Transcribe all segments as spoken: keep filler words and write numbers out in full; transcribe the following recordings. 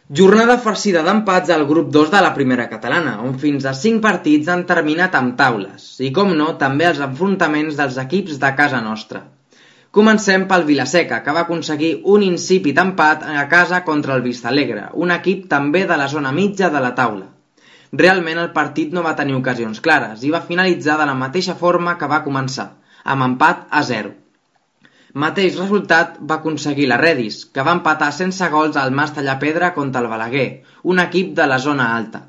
Jornada farcida d'empats al grup dos de la primera catalana, on fins a cinc partits han terminat amb taules, i com no, també els enfrontaments dels equips de casa nostra. Comencem pel Vila-seca, que va aconseguir un insípid empat a casa contra el Vistalegre, un equip també de la zona mitja de la taula. Realment el partit no va tenir ocasions clares i va finalitzar de la mateixa forma que va començar, amb empat a zero. Mateix resultat va aconseguir la Redis, que va empatar sense gols al Mas Tallapedra contra el Balaguer, un equip de la zona alta.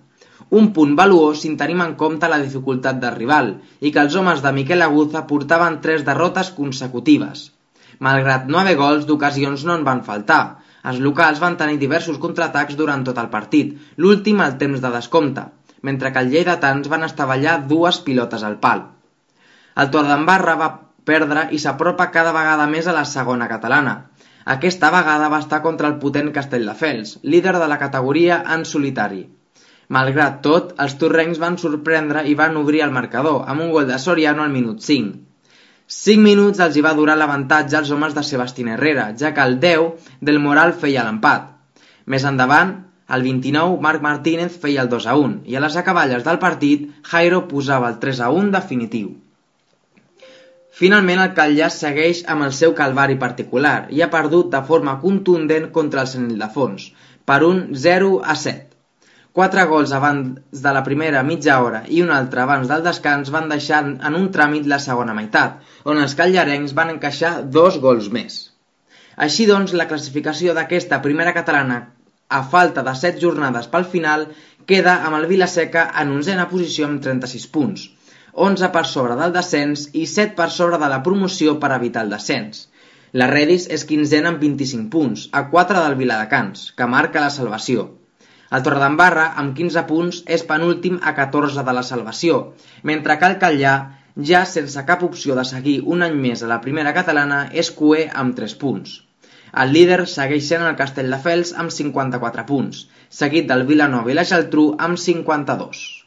Un punt valuós si tenim en compte la dificultat del rival i que els homes de Miquel Aguza portaven tres derrotes consecutives. Malgrat no haver gols, d'ocasions no en van faltar. Els locals van tenir diversos contraatacs durant tot el partit, l'últim al temps de descompte, mentre que els lleidatans van estavellar dues pilotes al pal. El Torredembarra va perdre i s'apropa cada vegada més a la segona catalana. Aquesta vegada va estar contra el potent Castelldefels, líder de la categoria en solitari. Malgrat tot, els torrencs van sorprendre i van obrir el marcador, amb un gol de Soriano al minut cinc. Cinc minuts els hi va durar l'avantatge als homes de Sebastián Herrera, ja que el deu del Moral feia l'empat. Més endavant, al vint-i-nou, Marc Martínez feia el dos a un, i a les acaballes del partit, Jairo posava el tres a un definitiu. Finalment el Catllà segueix amb el seu calvari particular i ha perdut de forma contundent contra el Sant Ildefons, per un zero a set. Quatre gols abans de la primera mitja hora i un altre abans del descans van deixar en un tràmit la segona meitat, on els catllarencs van encaixar dos gols més. Així doncs, la classificació d'aquesta primera catalana, a falta de set jornades pel final, queda amb el Vila-seca en onzena posició amb trenta-sis punts, onze per sobre del descens i set per sobre de la promoció per evitar el descens. La Redis és quinzena amb vint-i-cinc punts, a quatre del Viladecans, que marca la salvació. El Torredembarra, amb quinze punts, és penúltim a catorze de la salvació, mentre que el Catllà, ja sense cap opció de seguir un any més a la primera catalana, és cuer amb tres punts. El líder segueix sent el Castelldefels amb cinquanta-quatre punts, seguit del Vilanova i la Geltrú amb cinquanta-dos.